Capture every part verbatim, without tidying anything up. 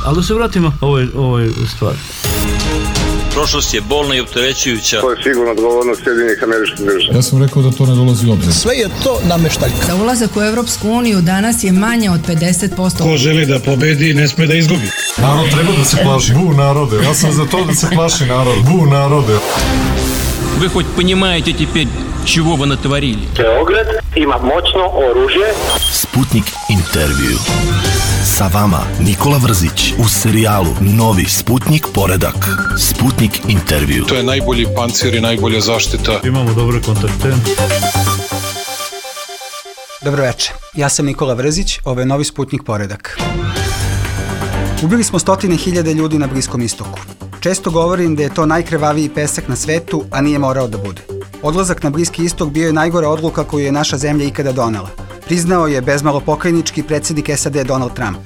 Ali da se vratimo ovoj, ovoj stvari. Prošlost je bolna i opterećujuća. To je sigurno odgovornost Sjedinjenih Američkih Država. Ja sam rekao da to ne dolazi u obzir. Sve je to nameštaljka. Za ulazak u Evropsku uniju danas je manje od pedeset posto. Ko želi da pobedi, ne sme da izgubi. Narod treba da se plaši. Bu narode. Ja sam za to da se plaši narod. Bu narode. Вы хоть понимаете теперь, чего вы натворили? Beograd ima moćno oružje. Sputnik intervju. Sa vama Nikola Vrzić u serijalu Novi Sputnik poredak. Sputnik intervju. To je najbolji pancir i najbolja zaštita. Imamo dobre kontakte. Dobro večer, ja sam Nikola Vrzić, ovo je Novi Sputnik poredak. Ubili smo stotine hiljade ljudi na Bliskom istoku. Često govorim da je to najkrvaviji pesak na svetu, a nije morao da bude. Odlazak na Bliski istok bio je najgora odluka koju je naša zemlja ikada donela. Priznao je bezmalo pokajnički predsjednik S A D Donald Trump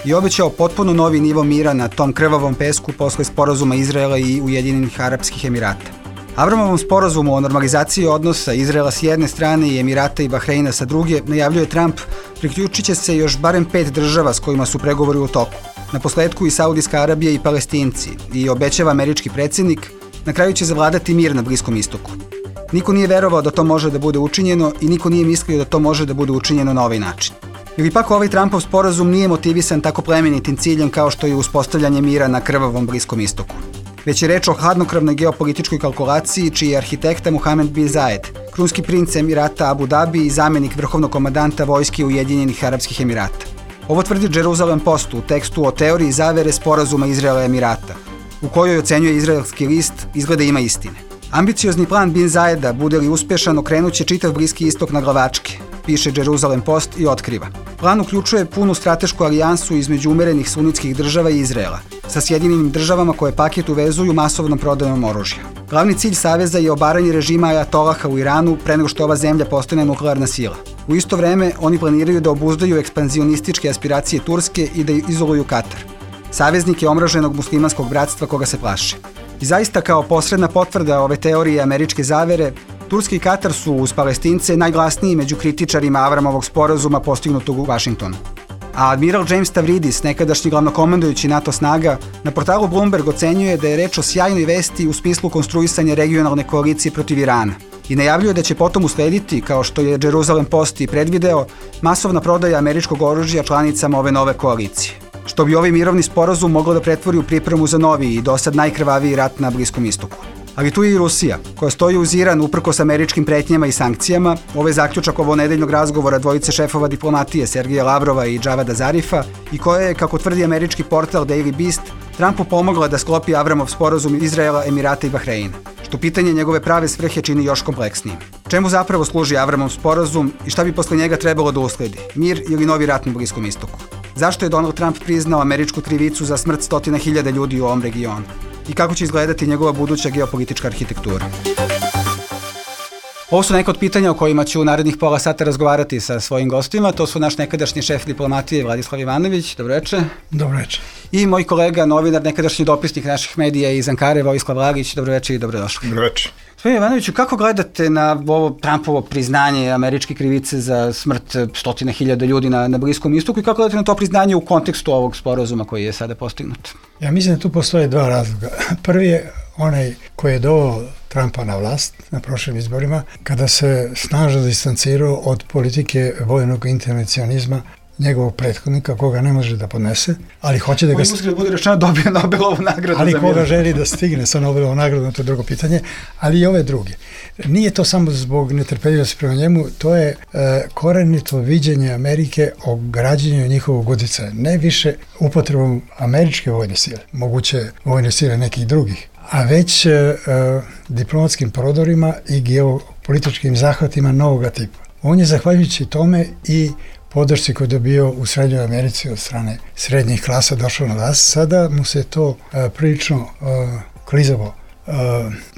i obećao potpuno novi nivo mira na tom krvavom pesku posle sporazuma Izraela i Ujedinjenih Arapskih Emirata. Avramovom sporazumu o normalizaciji odnosa Izraela s jedne strane i Emirata i Bahreina sa druge najavljuje Trump, priključit će se još barem pet država s kojima su pregovori u toku. Na posledku i Saudijska Arabija i Palestinci, i obećava američki predsjednik, na kraju će zavladati mir na Bliskom istoku. Niko nije verovao da to može da bude učinjeno i niko nije mislio da to može da bude učinjeno na ovaj način. Ili pak ovaj Trumpov sporazum nije motivisan tako plemenitim ciljem kao što je uspostavljanje mira na krvavom Bliskom istoku. Već je reč o hladnokravnoj geopolitičkoj kalkulaciji čiji je arhitekta Mohamed bin Zayed, krunski princ Emirata Abu Dhabi i zamjenik vrhovnog komandanta vojske Ujedinjenih Arapskih Emirata. Ovo tvrdi Jerusalem Post u tekstu o teoriji zavere sporazuma Izraela i Emirata, u kojoj ocenjuje izraelski list izgleda ima istine. Ambiciozni plan bin Zayeda, bude li uspešan, okrenuće čitav Bliski istok na glavačke, piše Jerusalem Post i otkriva. Plan uključuje punu stratešku alijansu između umerenih sunitskih država i Izraela, sa Sjedinjenim državama koje paket uvezuju masovnom prodajom oružja. Glavni cilj saveza je obaranje režima ajatolaha u Iranu pre nego što ova zemlja postane nuklearna sila. U isto vreme, oni planiraju da obuzdaju ekspanzionističke aspiracije Turske i da izoluju Katar, saveznike omraženog muslimanskog bratstva koga se plaše. I zaista kao posredna potvrda ove teorije američke zavere, Turska i Katar su uz Palestince najglasniji među kritičarima Avramovog sporazuma postignutog u Vašingtonu. A admiral James Stavridis, nekadašnji glavnokomandujući NATO snaga, na portalu Bloomberg ocenjuje da je reč o sjajnoj vesti u smislu konstruisanja regionalne koalicije protiv Irana i najavljuje da će potom uslediti, kao što je Jerusalem Post i predvideo, masovna prodaja američkog oružja članicama ove nove koalicije, što bi ovaj mirovni sporazum moglo da pretvori u pripremu za novi i dosad najkrvaviji rat na Bliskom istoku. Ali tu je i Rusija, koja stoji uz Iran uprkos američkim pretnjama i sankcijama. Ovo je zaključak ovonedeljnog razgovora dvojice šefova diplomatije Sergeja Lavrova i Javada Zarifa i koja je, kako tvrdi američki portal Daily Beast, Trumpu pomogla da sklopi Avramov sporazum Izraela, Emirata i Bahreina, što pitanje njegove prave svrhe čini još kompleksnijim. Čemu zapravo služi Avramov sporazum i šta bi posle njega trebalo da usledi? Mir ili novi rat na Bliskom istoku? Zašto je Donald Trump priznao američku krivicu za smrt stotina hiljada ljudi u ovom regionu? I kako će izgledati njegova buduća geopolitička arhitektura? Ovo su neka od pitanja o kojima ću u narednih pola sata razgovarati sa svojim gostima. To su naš nekadašnji šef diplomatije Vladislav Ivanović. Dobro večer. Dobro večer. I moj kolega, novinar, nekadašnji dopisnik naših medija iz Ankare, Vojislav Lagić. Dobro večer i dobrodošli. Dobro večer. Gospodine Ivanoviću, kako gledate na ovo Trumpovo priznanje američke krivice za smrt stotine hiljada ljudi na, na Bliskom istoku i kako gledate na to priznanje u kontekstu ovog sporazuma koji je sada postignut? Ja mislim da tu postoje dva razloga. Prvi je onaj koji je doveo Trumpa na vlast na prošlim izborima, kada se snažno distancirao od politike vojnog intervencionizma njegovog prethodnika, koga ne može da podnese, ali hoće da ga... Koji da bude rečeno dobio Nobelovu nagradu. Ali koga želi da stigne sa Nobelovom nagradom, to je drugo pitanje, ali i ove druge. Nije to samo zbog netrpeljivosti prema njemu, to je e, korenito viđenje Amerike o građenju njihovog uticaja, ne više upotrebom američke vojne sile, moguće vojne sile nekih drugih, a već e, diplomatskim prodorima i geopolitičkim zahvatima novoga tipa. On je zahvaljujući tome i podršci koju je dobio u Srednjoj Americi od strane srednjih klasa došao na vlast, sada mu se to uh, prilično uh, klizavo uh,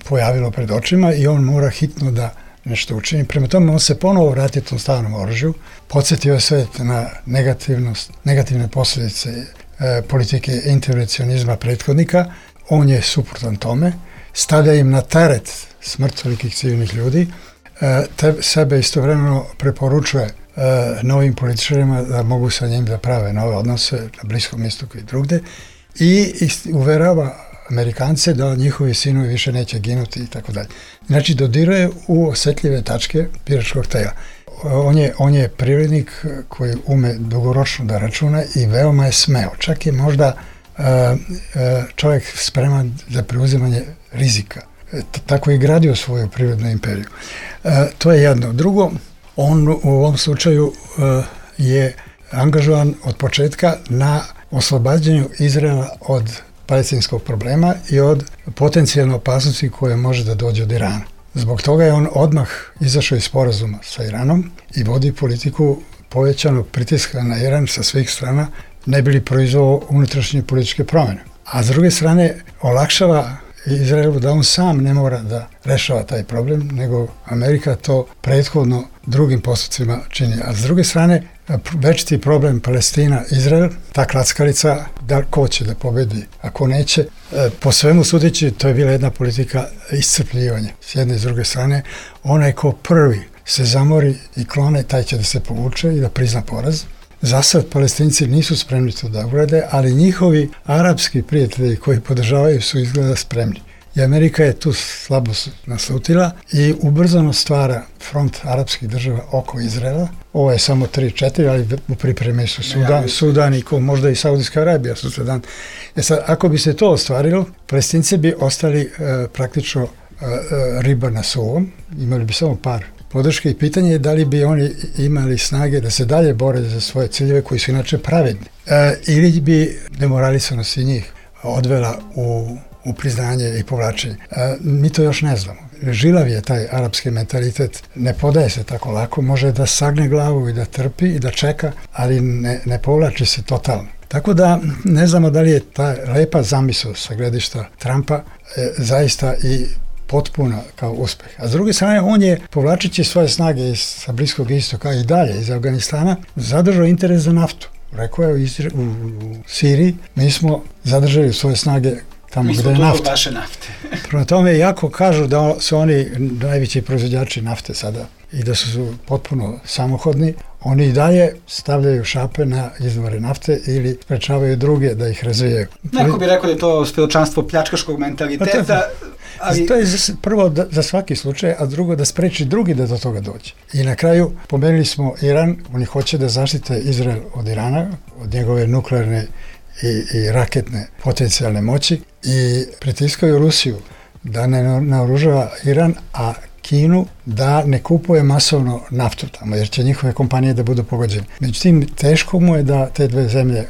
pojavilo pred očima i on mora hitno da nešto učini. Prema tome on se ponovo vratio tom stalnom oružju, podsjetio je svet na negativnost, negativne posljedice uh, politike intervencionizma prethodnika. On je suprotan tome, stavlja im na teret smrt velikih civilnih ljudi, uh, te sebe istovremeno preporučuje uh, novim političarima da mogu sa njim da prave nove odnose na Bliskom istoku i drugde i, i uverava Amerikance da njihovi sinovi više neće ginuti i tako dalje. Znači, dodiruje u osetljive tačke biračkog tela. On je, on je privrednik koji ume dugoročno da računa i veoma je smeo. Čak je možda uh, uh, čovjek spreman za preuzimanje rizika. T- tako je gradio svoju privrednu imperiju. Uh, to je jedno. Drugo, on u ovom slučaju uh, je angažovan od početka na oslobađanju Izraela od palestinskog problema i od potencijalne opasnosti koje može da dođe od Irana. Zbog toga je on odmah izašao iz sporazuma sa Iranom i vodi politiku povećanog pritiska na Iran sa svih strana, ne bi li proizveo unutrašnje političke promjene. A s druge strane, olakšava Izraelu da on sam ne mora da rešava taj problem, nego Amerika to prethodno drugim postupcima čini. A s druge strane, večiti problem Palestina-Izrael, ta klackalica, da ko će da pobedi, a ko neće, po svemu sudeći, to je bila jedna politika iscrpljivanja. S jedne i s druge strane, onaj ko prvi se zamori i klone, taj će da se povuče i da prizna poraz. Zasad Palestinci nisu spremni to da urade, ali njihovi arapski prijatelji koji podržavaju su izgleda spremni. I Amerika je tu slabo naslutila i ubrzano stvara front arapskih država oko Izraela. Ovo je samo tri četiri, ali u pripremi su Sudan, Sudan i ko, možda i Saudijska Arabija su Sudan. E sad, ako bi se to ostvarilo, Palestinci bi ostali e, praktično e, riba na suvom, imali bi samo par podrške i pitanje je da li bi oni imali snage da se dalje bore za svoje ciljeve koji su inače pravedni. E, ili bi demoralisanost i njih odvela u u priznanje i povlačenje. E, mi to još ne znamo. Žilav je taj arapski mentalitet, ne podaje se tako lako, može da sagne glavu i da trpi i da čeka, ali ne, ne povlači se totalno. Tako da ne znamo da li je ta lepa zamisao sa gledišta Trumpa e, zaista i potpuna kao uspeh. A s druge strane, on je, povlačići svoje snage iz, sa Bliskog istoka i dalje iz Afganistana, zadržao interes za naftu. Rekao je u, Izra- u, u Siriji, mi smo zadržali svoje snage tamo gde je nafta. Vaše nafte. Prema tome, jako kažu da su oni najveći proizvođači nafte sada i da su potpuno samohodni, oni i dalje stavljaju šape na izvore nafte ili sprečavaju druge da ih razvijaju. Neko bi rekao da je to svedočanstvo pljačkaškog mentaliteta. Ali... To je za, prvo da, za svaki slučaj, a drugo da spreči drugi da do toga dođe. I na kraju pomenuli smo Iran, oni hoće da zaštite Izrael od Irana, od njegove nuklearne i, i raketne potencijalne moći i pritiskaju Rusiju da ne naoružava Iran, a Kinu da ne kupuje masovno naftu tamo, jer će njihove kompanije da budu pogođene. Međutim, teško mu je da te dve zemlje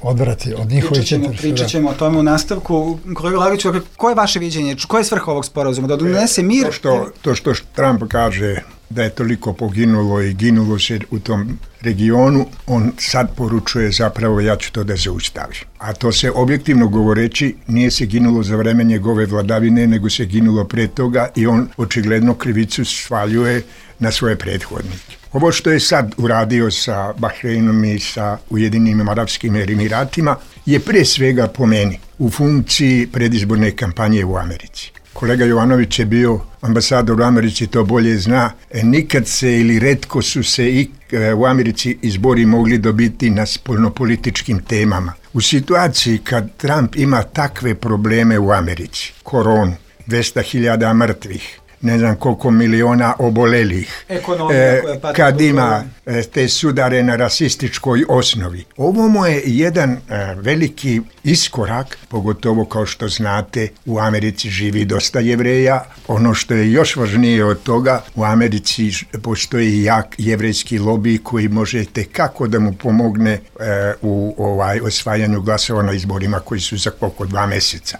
odvrati od njihovih interesa. Pričat ćemo o tome u nastavku. Kolega Lagiću, koje je vaše viđenje? Koja je svrha ovog sporazuma? Da donese mir? To što, to što Trump kaže da je toliko poginulo i ginulo se u tom regionu, on sad poručuje zapravo ja ću to da zaustavim. A to se objektivno govoreći nije se ginulo za vreme njegove vladavine, nego se ginulo pre toga i on očigledno krivicu svaljuje na svoje prethodnike. Ovo što je sad uradio sa Bahreinom i sa Ujedinjenim Arapskim Emiratima je pre svega po meni u funkciji predizborne kampanje u Americi. Kolega Jovanović je bio ambasador u Americi, to bolje zna. E, nikad se ili retko su se i e, u Americi izbori mogli dobiti na spoljnopolitičkim temama. U situaciji kad Trump ima takve probleme u Americi, koronu, dvesta hiljada mrtvih, ne znam koliko miliona obolelih, e, kad ima e, te sudare na rasističkoj osnovi. Ovo mu je jedan e, veliki iskorak, pogotovo kao što znate, u Americi živi dosta Jevreja. Ono što je još važnije od toga, u Americi postoji jak jevrejski lobij koji možete kako da mu pomogne e, u ovaj osvajanju glasova na izborima koji su za oko dva mjeseca.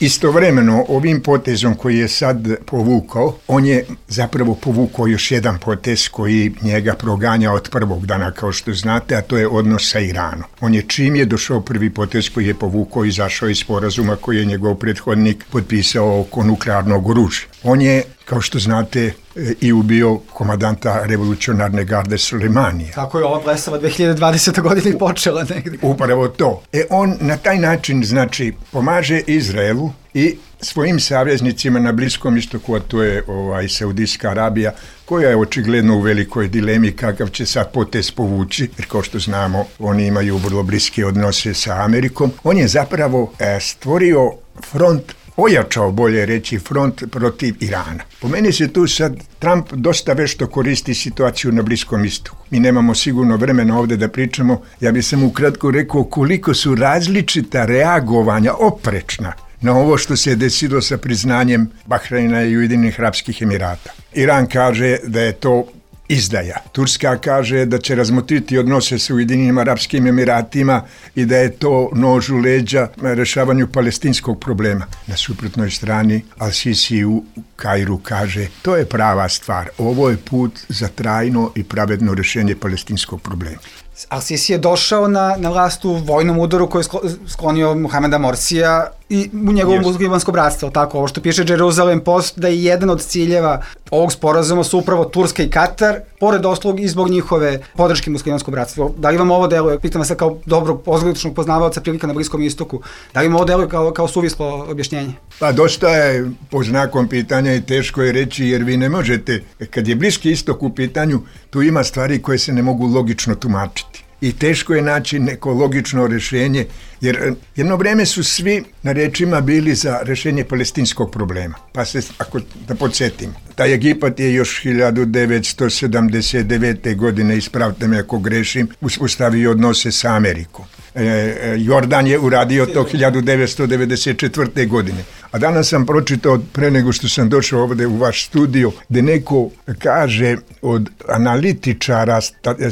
Istovremeno, ovim potezom koji je sad povukao, on je zapravo povukao još jedan potez koji njega proganja od prvog dana, kao što znate, a to je odnos sa Iranom. On je čim je došao prvi potez koji je povukao, izašao iz sporazuma koji je njegov prethodnik potpisao oko nuklearnog oružja. On je kao što znate, i ubio komadanta revolucionarne garde Sulejmanija. Tako je ova blesava dve hiljade dvadesete. godine i počela negdje. Upravo to. E on na taj način, znači, pomaže Izraelu i svojim saveznicima na Bliskom istoku, a to je ovaj, Saudijska Arabija, koja je očigledno u velikoj dilemi kakav će sad potez povući, jer kao što znamo, oni imaju vrlo bliske odnose sa Amerikom. On je zapravo e, stvorio front, ojačao, bolje reći, front protiv Irana. Po meni se tu sad Trump dosta vešto koristi situaciju na Bliskom istoku. Mi nemamo sigurno vremena ovdje da pričamo. Ja bih sam ukratko rekao koliko su različita reagovanja oprečna na ovo što se je desilo sa priznanjem Bahreina i Ujedinjenih Arapskih Emirata. Iran kaže da je to izdaja. Turska kaže da će razmotriti odnose sa Ujedinjenim Arapskim Emiratima i da je to nož u leđa rešavanju palestinskog problema. Na suprotnoj strani Al-Sisi u Kairu kaže to je prava stvar. Ovo je put za trajno i pravedno rešenje palestinskog problema. Al-Sisi je došao na, na vlast u vojnom udaru koji je sklonio Muhameda Morsija i u njegovom muslimansko bratstvo, tako, ovo što piše Jerusalem Post, da je jedan od ciljeva ovog sporazuma su upravo Turska i Katar, pored ostalog i zbog njihove podrške muslimanskom bratstvu. Da li vam ovo deluje, pitam vas kao dobrog pozgličnog poznavaoca prilika na Bliskom istoku, da li vam ovo deluje kao, kao suvislo objašnjenje? Pa dosta je po znakom pitanja i teško je reći, jer vi ne možete, kad je Bliski istok u pitanju, tu ima stvari koje se ne mogu logično tumačiti. I teško je naći neko logično rješenje, jer jedno vreme su svi na rečima bili za rješenje palestinskog problema. Pa se, ako da podsjetimo, taj Egipat je još hiljadu devetsto sedamdeset devete. godine, ispravite me ako grešim, uspostavio odnose sa Amerikom. E, Jordan je uradio to hiljadu devetsto devedeset četvrte. godine. A danas sam pročitao, pre nego što sam došao ovdje u vaš studio, gdje neko kaže od analitičara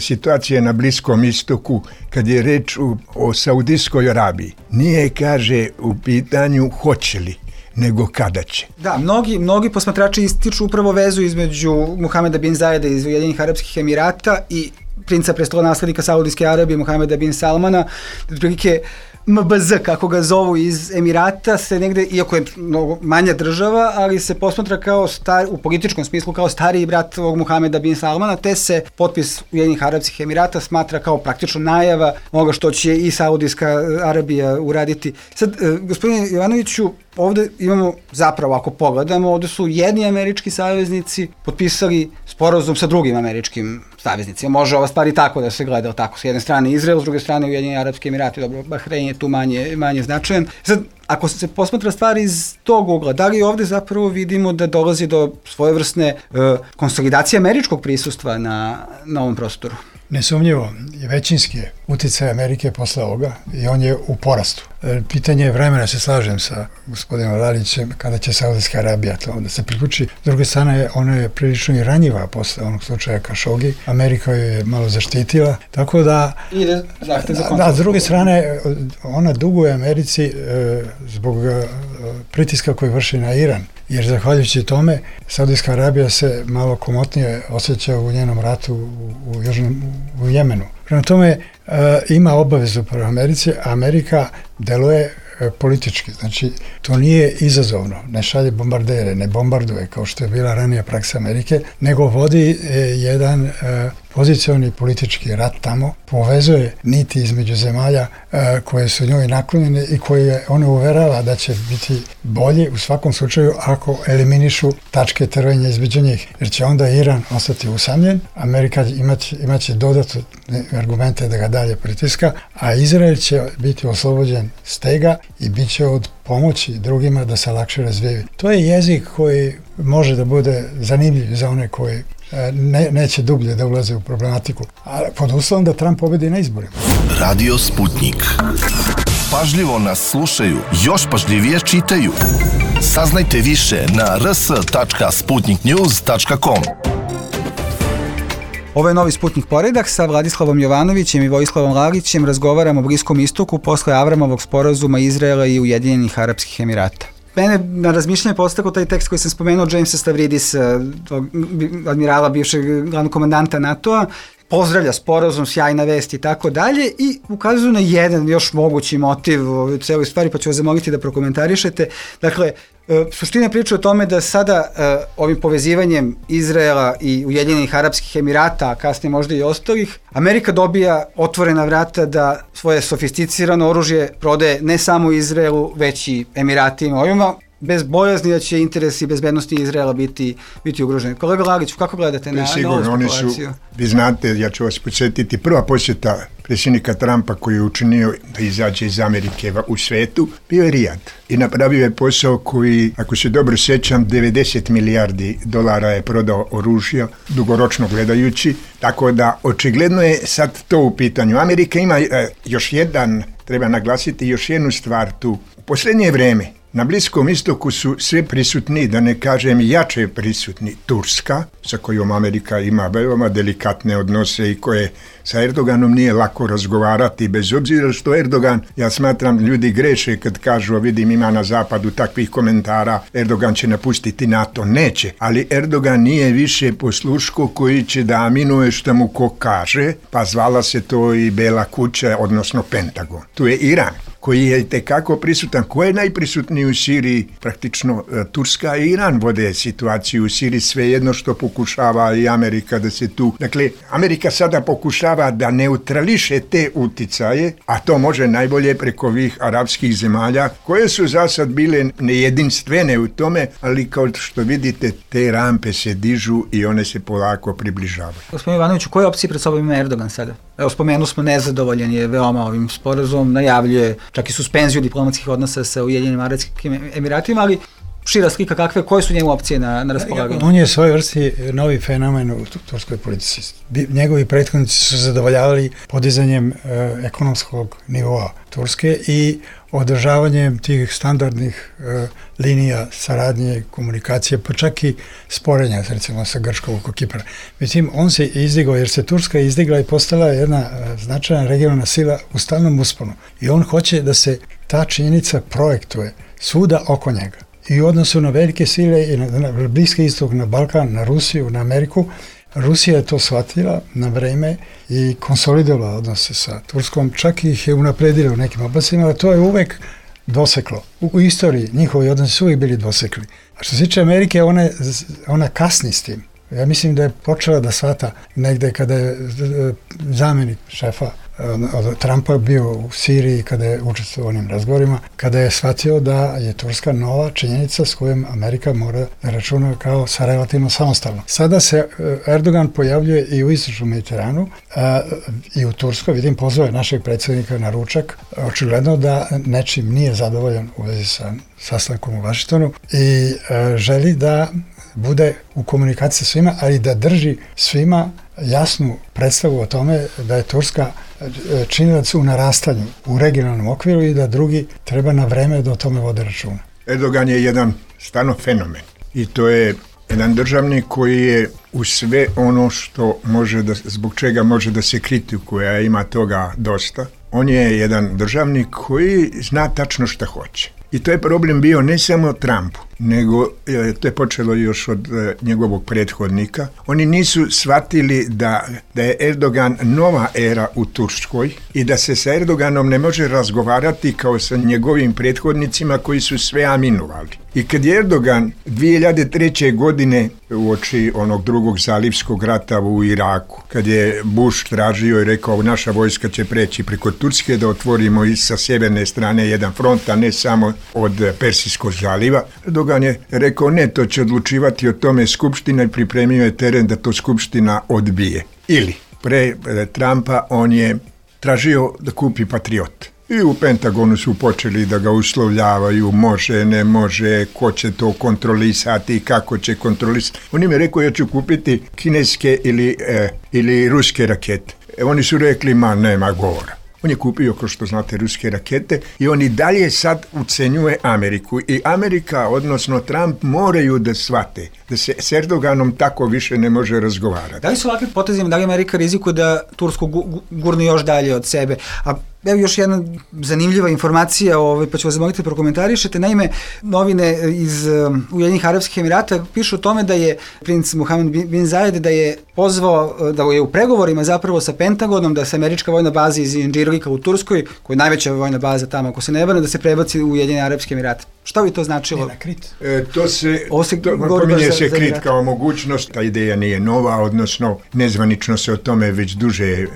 situacije na Bliskom istoku, kad je reč o, o Saudijskoj Arabiji. Nije, kaže, u pitanju hoće li, nego kada će. Da, mnogi, mnogi posmatrači ističu upravo vezu između Muhameda bin Zajeda iz Ujedinjenih Arapskih Emirata i princa prestolonaslednika Saudijske Arabije Muhameda bin Salmana, otprilike M B Z, kako ga zovu, iz Emirata, se negde, iako je mnogo manja država, ali se posmatra kao star, u političkom smislu kao stariji brat ovog Muhameda bin Salmana, te se potpis Ujedinjenih Arapskih Emirata smatra kao praktično najava onoga što će i Saudijska Arabija uraditi. Sad, gospodine Jovanoviću, ovde imamo, zapravo ako pogledamo, ovde su jedni američki saveznici potpisali sporazum sa drugim američkim saveznicima. Može ova stvar i tako da se gleda, tako, s jedne strane Izrael, s druge strane Ujedinjeni Arapski Emirati, dobro, Bahrein je tu manje, manje značajan. Sad, ako se posmatra stvar iz tog ugla, da li ovde zapravo vidimo da dolazi do svojevrsne uh, konsolidacije američkog prisustva na, na ovom prostoru? Nesumnjivo, većinski je uticaj Amerike posle ovoga i on je u porastu. Pitanje je vremena, se slažem sa gospodinom Lalićem, kada će Saudijska Arabija to da se priključi. S druge strane, ona je prilično i ranjiva posle onog slučaja Kašogi. Amerika ju je malo zaštitila, tako da... Ide zahtev za da, s druge strane, ona duguje Americi e, zbog e, pritiska koji vrši na Iran. Jer zahvaljujući tome, Saudijska Arabija se malo komotnije osjeća u njenom ratu u, u, Južnom, u Jemenu. Prema tome, e, ima obavezu prema Americi, a Amerika deluje e, politički. Znači, to nije izazovno. Ne šalje bombardere, ne bombarduje, kao što je bila ranija praksa Amerike, nego vodi e, jedan e, pozicioni politički rat tamo, povezuje niti između zemalja e, koje su njoj naklonjene i koje one uverava da će biti bolje u svakom slučaju ako eliminišu tačke trvenja između njih. Jer će onda Iran ostati usamljen, Amerika imać, imaće dodatne argumente da ga dalje pritiska, a Izrael će biti oslobođen stega i bit će od pomoći drugima da se lakše razvijaju. To je jezik koji može da bude zanimljiv za one koji Ne, neće dublje da ulaze u problematiku, a pod uslovom da Trump pobedi na izborima. Radio Sputnik. Pažljivo nas slušaju, još pažljivije čitaju. Saznajte više na r s tačka sputnik news tačka com. Ovo je novi Sputnik poredak sa Vladislavom Jovanovićem i Vojislavom Lalićem. Razgovaramo o Bliskom istoku posle Avramovog sporazuma Izraela i Ujedinjenih Arapskih Emirata. Mene na razmišljanje postakao taj tekst koji sam spomenuo Jamesa Stavridisa, admirala, bivšeg glavnog komandanta NATO-a, pozdravlja sporazum, sjajna vest i tako dalje i ukazuje na jedan još mogući motiv u celoj stvari, pa ću vas zamoliti da prokomentarišete. Dakle, Suština priča o tome da sada ovim povezivanjem Izraela i Ujedinjenih Arapskih Emirata, a kasnije možda i ostalih, Amerika dobija otvorena vrata da svoje sofisticirano oružje prodaje ne samo Izraelu, već i Emiratima. Ovima bez bojazni da će interesi bezbednosti Izraela biti, biti ugroženi. Kolega Lagić, kako gledate na, na ovu spekulaciju? Su, vi znate, ja ću vas podsjetiti, prva posjeta predsjednika Trumpa koji je učinio da izađe iz Amerike u svetu, bio je Rijad. I napravio je posao koji, ako se dobro sjećam, devedeset milijardi dolara je prodao oružja, dugoročno gledajući, tako da očigledno je sad to u pitanju. Amerika ima e, još jedan, treba naglasiti još jednu stvar tu. U posljednje vrijeme na Bliskom istoku su sve prisutni, da ne kažem jače prisutni, Turska, sa kojom Amerika ima veoma delikatne odnose i koje sa Erdoganom nije lako razgovarati, bez obzira što Erdogan, ja smatram, ljudi greše kad kažu, vidim ima na zapadu takvih komentara, Erdogan će napustiti NATO, neće, ali Erdogan nije više posluško koji će da aminuje što mu ko kaže, pa zvala se to i Bela kuća, odnosno Pentagon. Tu je Iran, koji je tekako prisutan. Ko je najprisutniji u Siriji? Praktično Turska i Iran vode situaciju u Siriji, svejedno što pokušava i Amerika da se tu... Dakle, Amerika sada pokušava da neutrališe te uticaje, a to može najbolje preko ovih arapskih zemalja, koje su za sad bile nejedinstvene u tome, ali kao što vidite, te rampe se dižu i one se polako približavaju. Gospodin Ivanoviću, koje opcije pred sobom ima Erdogan sada? Evo, spomenu smo, nezadovoljan je veoma ovim sporazumom, najavljuje čak i suspenziju diplomatskih odnosa sa Ujedinjenim Arapskim Emiratima, ali šira slika kakve, koje su njemu opcije na, na raspolaganju? On je svoj vrsti novi fenomen u turskoj politici. Njegovi prethodnici su zadovoljavali podizanjem e, ekonomskog nivoa Turske i održavanjem tih standardnih e, linija saradnje, komunikacije, pa čak i sporenja, recimo sa Grčkom oko Kipra. Međutim, on se izdigao, jer se Turska izdigla i postala jedna e, značajna regionalna sila u stalnom usponu. I on hoće da se ta činjenica projektuje svuda oko njega. I u odnosu na velike sile i na, na Bliski istok, na Balkan, na Rusiju, na Ameriku, Rusija je to shvatila na vreme i konsolidovala odnose sa Turskom, čak ih je unapredila u nekim oblastima, ali to je uvek doseklo. U, u istoriji njihovi odnosi su uvijek bili dosekli. A što se tiče Amerike, ona, ona kasni s tim. Ja mislim da je počela da shvata negde kada je zamjenik šefa od Trumpa bio u Siriji, kada je učestvovao u onim razgovorima, kada je shvatio da je Turska nova činjenica s kojom Amerika mora da računa kao sa relativno samostalno. Sada se Erdogan pojavljuje i u istočnom Mediteranu a, i u Turskoj, vidim, pozvao našeg predsjednika na ručak, očigledno da nečim nije zadovoljan u vezi sa sastankom u Vašingtonu i a, želi da bude u komunikaciji sa svima, ali da drži svima jasnu predstavu o tome da je Turska činilac u narastanju u regionalnom okviru i da drugi treba na vreme da o tome vode računa. Erdogan je jedan stvarno fenomen i to je jedan državnik koji je u sve ono što može da, zbog čega može da se kritikuje, a ima toga dosta. On je jedan državnik koji zna tačno šta hoće. I to je problem bio ne samo Trumpu, nego to je počelo još od njegovog prethodnika. Oni nisu shvatili da, da je Erdogan nova era u Turskoj i da se sa Erdoganom ne može razgovarati kao sa njegovim prethodnicima koji su sve aminovali. I kad je Erdogan dvije hiljade treće. godine uoči onog drugog zalivskog rata u Iraku, kad je Bush tražio i rekao naša vojska će preći preko Turske da otvorimo i sa sjeverne strane jedan front, a ne samo od Persijskog zaliva, Erdogan je rekao ne, to će odlučivati o tome Skupština i pripremio je teren da to Skupština odbije. Ili pre Trumpa on je tražio da kupi Patriot. I u Pentagonu su počeli da ga uslovljavaju, može, ne može, ko će to kontrolisati, kako će kontrolisati. On im je rekao, ja ću kupiti kineske ili, e, ili ruske rakete. E, oni su rekli, ma nema govora. On je kupio, kao što znate, ruske rakete i on i dalje sad ucenjuje Ameriku. I Amerika, odnosno Trump, moraju da shvate da se s Erdoganom tako više ne može razgovarati. Da li su ovakvi potezima, da li Amerika rizikuje da Tursku gurne još dalje od sebe? A Evo još jedna zanimljiva informacija, ovaj, pa ću vas zamoliti da prokomentarišete. Naime, novine iz um, Ujedinjenih Arapskih Emirata pišu o tome da je princ Mohammed bin Zayed da je pozvao, da je u pregovorima zapravo sa Pentagonom, da se američka vojna baza iz Inđirlika u Turskoj, koja je najveća vojna baza tamo, ako se ne vrne, da se prebaci u Ujedinjene Arapske Emirate. Šta bi to značilo? Ne, Krit. E, to se, se to, pominje se Krit kao mogućnost, ta ideja nije nova, odnosno nezvanično se o tome već duže e,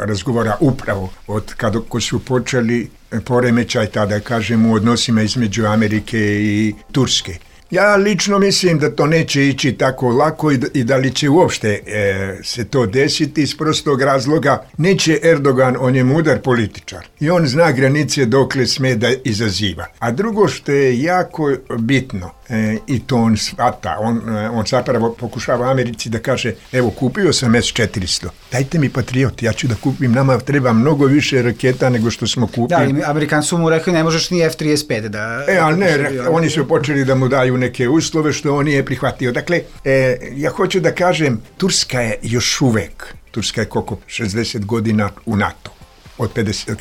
razgovara upravo od kada ko su počeli poremećaj, tada kažem, u odnosima između Amerike i Turske. Ja lično mislim da to neće ići tako lako i da, i da li će uopšte e, se to desiti iz prostog razloga. Neće Erdogan, on je mudar političar i on zna granice dokle sme da izaziva. A drugo što je jako bitno, e, i to on shvata, on, on zapravo pokušava Americi da kaže, evo kupio sam S četiristo, dajte mi Patriot, ja ću da kupim, nama treba mnogo više raketa nego što smo kupili. Da, Amerikanci su mu rekli ne možeš ni F trideset pet da... E, ali ne, re, oni su počeli da mu daju neke uslove što on nije prihvatio. Dakle, e, ja hoću da kažem, Turska je još uvek, Turska je koliko, šezdeset godina u NATO, od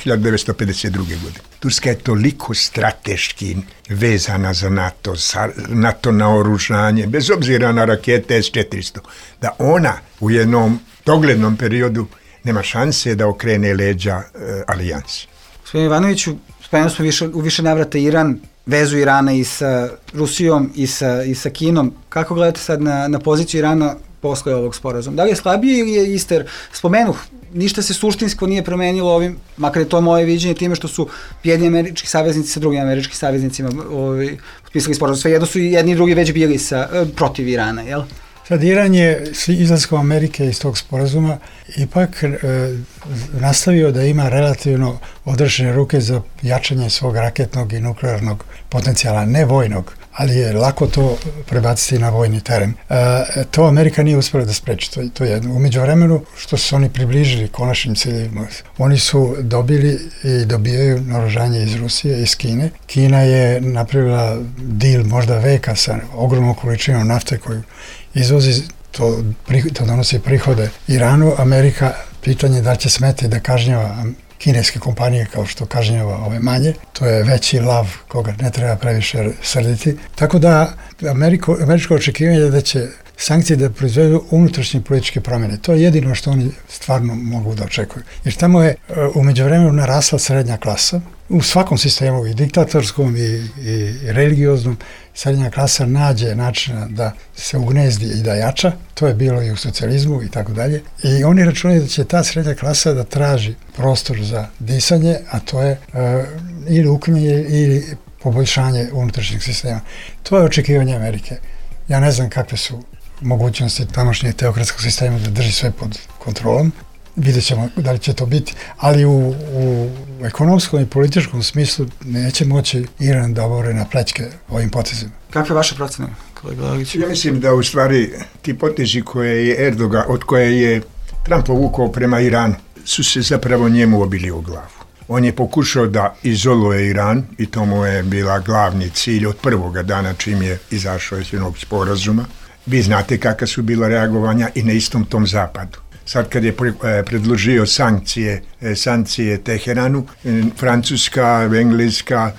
hiljadu devetsto pedeset druge. godine. Turska je toliko strateški vezana za NATO, za NATO naoružanje, bez obzira na rakete S četiristo, da ona u jednom doglednom periodu nema šanse da okrene leđa e, alijansi. Gospodin Ivanoviću, spomenuli smo više, u više navrata Iran, vezu Irana i sa Rusijom i sa, i sa Kinom. Kako gledate sad na, na poziciju Irana posle ovog sporazuma? Da li je slabije ili je ister? Spomenuh, ništa se suštinsko nije promenilo ovim, makar je to moje viđenje time što su jedni američki saveznici sa drugim američkim saveznicima ovaj, potpisali sporazum. Sve jedno su i jedni i drugi već bili sa, protiv Irana, jel? Sad Iran je s izlaskom Amerike iz tog sporazuma ipak e, nastavio da ima relativno odrešene ruke za jačanje svog raketnog i nuklearnog potencijala, ne vojnog, ali je lako to prebaciti na vojni teren. E, to Amerika nije uspjela da spreči, to, to je u međuvremenu što su oni približili konačnim ciljevima. Oni su dobili i dobijaju naoružanje iz Rusije, iz Kine. Kina je napravila deal možda veka sa ogromnom količinom nafte koju izvozi, to, to donosi prihode Iranu. Amerika, pitanje da će smeti da kažnjava kineske kompanije kao što kažnjava ove manje, to je veći lav koga ne treba previše srditi. Tako da Ameriko, američko očekivanje je da će sankcije da proizvedu unutrašnje političke promjene. To je jedino što oni stvarno mogu da očekuju. Jer tamo je u međuvremenu narasla srednja klasa. U svakom sistemu, i diktatorskom i, i religioznom, srednja klasa nađe načina da se ugnezdi i da jača. To je bilo i u socijalizmu i tako dalje. I oni računaju da će ta srednja klasa da traži prostor za disanje, a to je uh, ili uklanjanje ili poboljšanje unutrašnjeg sistema. To je očekivanje Amerike. Ja ne znam kakve su mogućnosti tamošnjeg teokratskog sistema da drži sve pod kontrolom. Vidjet ćemo da li će to biti, ali u, u ekonomskom i političkom smislu neće moći Iran da obore na plećke ovim potezima. Kakve vaše procene, kolega Lagić? Ja mislim da u stvari ti potezi koje je Erdogan, od koje je Trump povukao prema Iranu, su se zapravo njemu obili u glavu. On je pokušao da izoluje Iran i to mu je bila glavni cilj od prvoga dana čim je izašao iz jednog sporazuma. Vi znate kakva su bila reagovanja i na istom tom zapadu. Sad kad je predložio sankcije, sankcije Teheranu, Francuska, Engleska,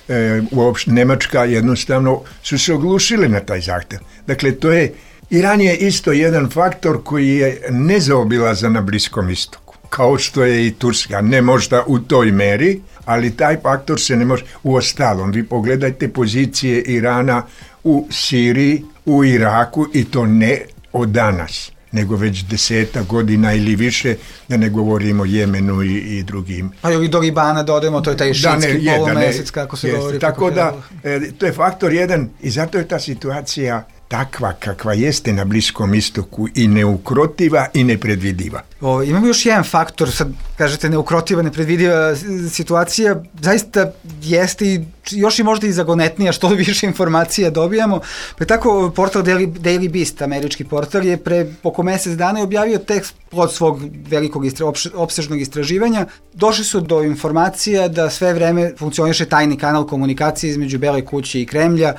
uopšte Nemačka jednostavno su se oglušile na taj zahtev. Dakle, to je, Iran je isto jedan faktor koji je nezaobilazan na Bliskom istoku. Kao što je i Turska, ne možda u toj meri, ali taj faktor se ne može. U ostalom, vi pogledajte pozicije Irana u Siriji, u Iraku i to ne od danas, nego već deseta godina ili više, da ne govorimo o Jemenu i, i drugim. Pa i do Libana dodajemo, to je taj šitski da, polumesec, kako se jest, govori. Tako da, e, to je faktor jedan i zato je ta situacija takva kakva jeste na Bliskom istoku i neukrotiva i nepredvidiva. O, imamo još jedan faktor, sad kažete neukrotiva, nepredvidiva situacija, zaista jeste i još i možda i zagonetnija što više informacija dobijamo. Pa tako portal Daily, Daily Beast, američki portal, je pre oko mesec dana objavio tekst od svog velikog istra, opsežnog istraživanja. Došli su do informacija da sve vreme funkcioniše tajni kanal komunikacije između Bele kuće i Kremlja.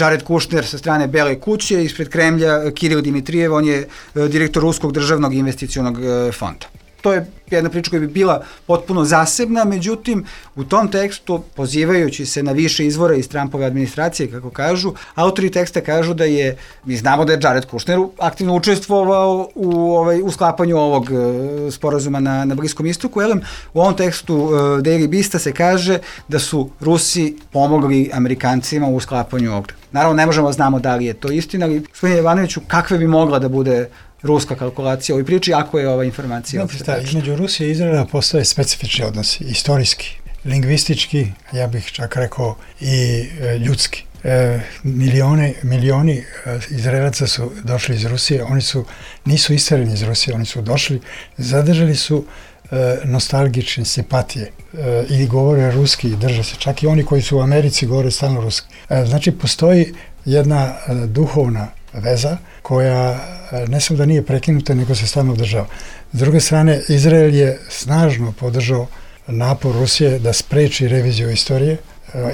Jared Kushner sa strane Bele kuće, ispred Kremlja Kiril Dimitrijev, on je direktor Ruskog državnog investicionog fonda. To to je jedna priča koja bi bila potpuno zasebna, međutim, u tom tekstu, pozivajući se na više izvora iz Trumpove administracije, kako kažu, autori teksta kažu da je, mi znamo da je Jared Kushner aktivno učestvovao u, ovaj, u sklapanju ovog uh, sporazuma na, na Bliskom istoku, elem, u ovom tekstu uh, Daily Beasta se kaže da su Rusi pomogli Amerikancima u sklapanju ovog. Naravno, ne možemo znamo da li je to istina, ali gospodine Jovanoviću, kakve bi mogla da bude ruska kalkulacija u ovoj priči, ako je ova informacija... Znate šta, između Rusije i Izraela postoje specifični odnosi, istorijski, lingvistički, ja bih čak rekao i e, ljudski. E, milione, milioni e, Izraelaca su došli iz Rusije, oni su, nisu istereni iz Rusije, oni su došli, zadržali su e, nostalgične simpatije e, i govore ruski i drže se, čak i oni koji su u Americi govore stalno ruski. E, znači, postoji jedna e, duhovna veza koja ne samo da nije prekinuta, nego se stalno održava. S druge strane, Izrael je snažno podržao napor Rusije da spreči reviziju istorije.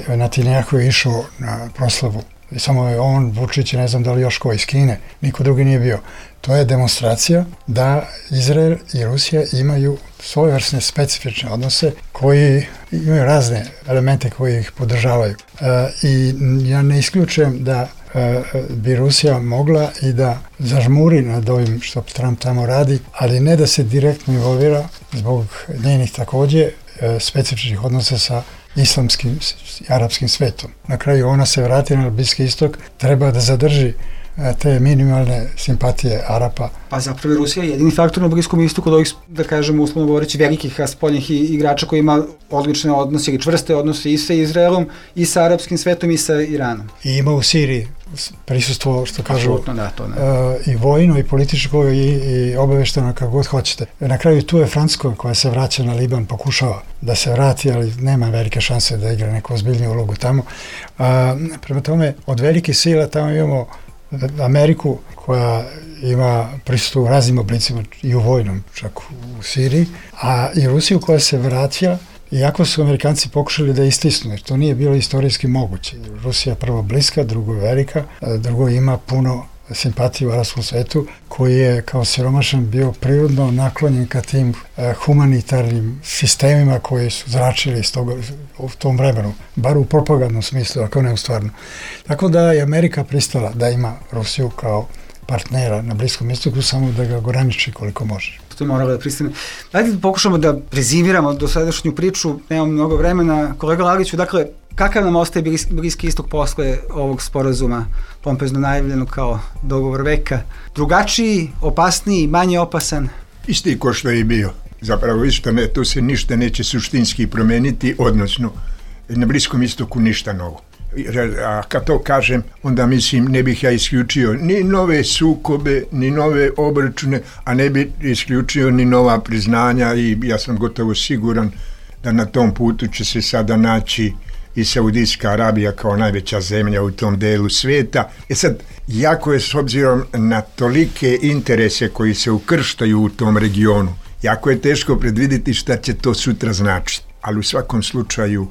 Netanjahu je išao na proslavu. I samo je on, Vučić, ne znam da li još ko iz Kine, niko drugi nije bio. To je demonstracija da Izrael i Rusija imaju svojevrsne specifične odnose koji imaju razne elemente koji ih podržavaju. E, I ja ne isključujem da e, bi Rusija mogla i da zažmuri nad ovim što Trump tamo radi, ali ne da se direktno involvira zbog njenih takođe e, specifičnih odnosa sa islamskim i arapskim svetom. Na kraju ona se vrati na Bliski istok, treba da zadrži te minimalne simpatije Arapa. Pa zapravo Rusija je jedini faktor na Bliskom istoku od ovih, da kažemo, uslovno govoreći, velikih spoljnih igrača koji ima odlične odnose ili čvrste odnose i sa Izraelom, i sa arapskim svetom, i sa Iranom. I ima u Siriji prisustvo, što kažu, da, to ne. Uh, i vojno, i političko, i, i obavešteno, kako god hoćete. Na kraju tu je Francuska koja se vraća na Liban, pokušava da se vrati, ali nema velike šanse da igra neku ozbiljniju ulogu tamo. Uh, prema tome, od velikih sila tamo imamo Ameriku koja ima prisustvo u raznim oblicima i u vojnom, čak u Siriji, a i Rusiju koja se vraća, iako su Amerikanci pokušali da istisnu, jer to nije bilo istorijski moguće. Rusija prvo bliska, drugo velika, drugo ima puno simpatiju u arapskom svetu, koji je kao siromašan bio prirodno naklonjen ka tim eh, humanitarnim sistemima koji su zračili iz toga, u tom vremenu, bar u propagandnom smislu, ako ne u stvarno. Tako da je Amerika pristala da ima Rusiju kao partnera na Bliskom istoku, samo da ga ograniči koliko može. To je moralo da pristane. Dajte da pokušamo da rezimiramo do sadašnju priču, nemam mnogo vremena. Kolega Lagiću, dakle, kakav nam ostaje Bliski istok posle ovog sporazuma, pompezno najavljeno kao dogovor veka? Drugačiji, opasniji, manje opasan? Isti ko što je i bio. Zapravo isto ne, to se ništa neće suštinski promeniti, odnosno na Bliskom istoku ništa novo. A kad to kažem, onda mislim ne bih ja isključio ni nove sukobe, ni nove obračune, a ne bih isključio ni nova priznanja i ja sam gotovo siguran da na tom putu će se sada naći i Saudijska Arabija kao najveća zemlja u tom delu svijeta. E sad, jako je s obzirom na tolike interese koji se ukrštaju u tom regionu, jako je teško predvidjeti šta će to sutra značiti. Ali u svakom slučaju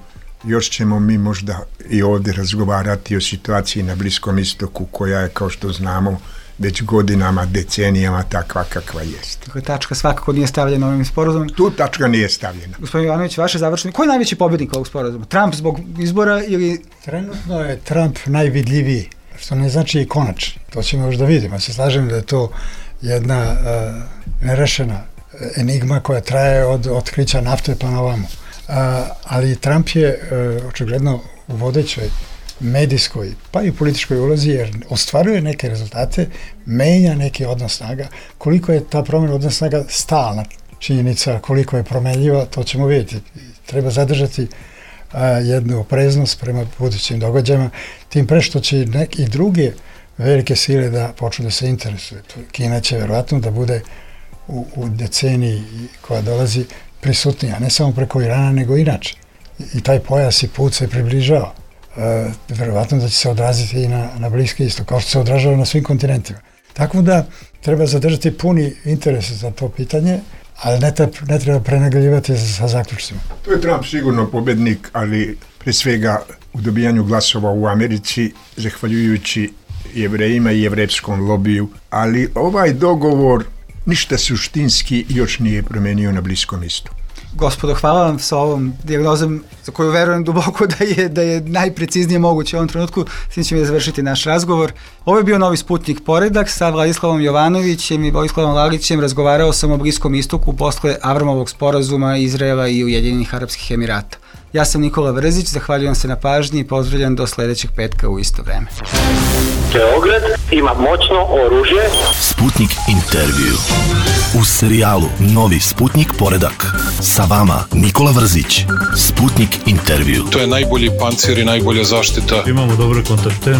još ćemo mi možda i ovdje razgovarati o situaciji na Bliskom istoku koja je, kao što znamo, već godinama, decenijama takva kakva jest. Dakle, tačka svakako nije stavljena ovim sporazumom. Tu tačka nije stavljena. Gospodin Jovanović, vaše završenje. Ko je najveći pobjednik ovog sporazuma? Trump zbog izbora ili... Trenutno je Trump najvidljiviji, što ne znači i konačni. To ćemo još da vidimo. Ja se slažem da je to jedna uh, nerešena enigma koja traje od otkrića nafte pa na ovamo. Uh, ali Trump je uh, očigledno u vodećoj medijskoj pa i političkoj ulozi, jer ostvaruje neke rezultate, menja neki odnos snaga. Koliko je ta promjena odnos snaga stalna činjenica, koliko je promenljiva, to ćemo vidjeti. Treba zadržati uh, jednu opreznost prema budućim događajima, tim pre što će neke i druge velike sile da počnu da se interesuju. Kina će verovatno da bude u, u deceniji koja dolazi prisutnija, ne samo preko Irana, nego inače. I taj pojas i put se približava. E, verovatno da će se odraziti i na, na Bliski istok, kao što se odražava na svim kontinentima. Tako da treba zadržati puni interes za to pitanje, ali ne, ta, ne treba prenagljivati sa zaključcima. To je Trump sigurno pobednik, ali pre svega u dobijanju glasova u Americi, zahvaljujući Jevrejima i jevrejskom lobiju. Ali ovaj dogovor ništa suštinski još nije promenio na Bliskom istoku. Gospodo, hvala vam sa ovom dijagnozom za koju verujem duboko da je, da je najpreciznije moguće u ovom trenutku. S tim ćemo da završiti naš razgovor. Ovo je bio Novi Sputnik Poredak sa Vladislavom Jovanovićem i Vojislavom Lalićem. Razgovarao sam o Bliskom istoku posle Avramovog sporazuma Izraela i Ujedinjenih Arapskih Emirata. Ja sam Nikola Vrzić, zahvaljujem se na pažnji i pozdravljam do sledećeg petka u isto vreme. Beograd ima moćno oružje. Sputnik intervju. U serijalu Novi Sputnik Poredak. Sa vama Nikola Vrzić. Sputnik intervju. To je najbolji pancir i najbolja zaštita. Imamo dobre kontakte.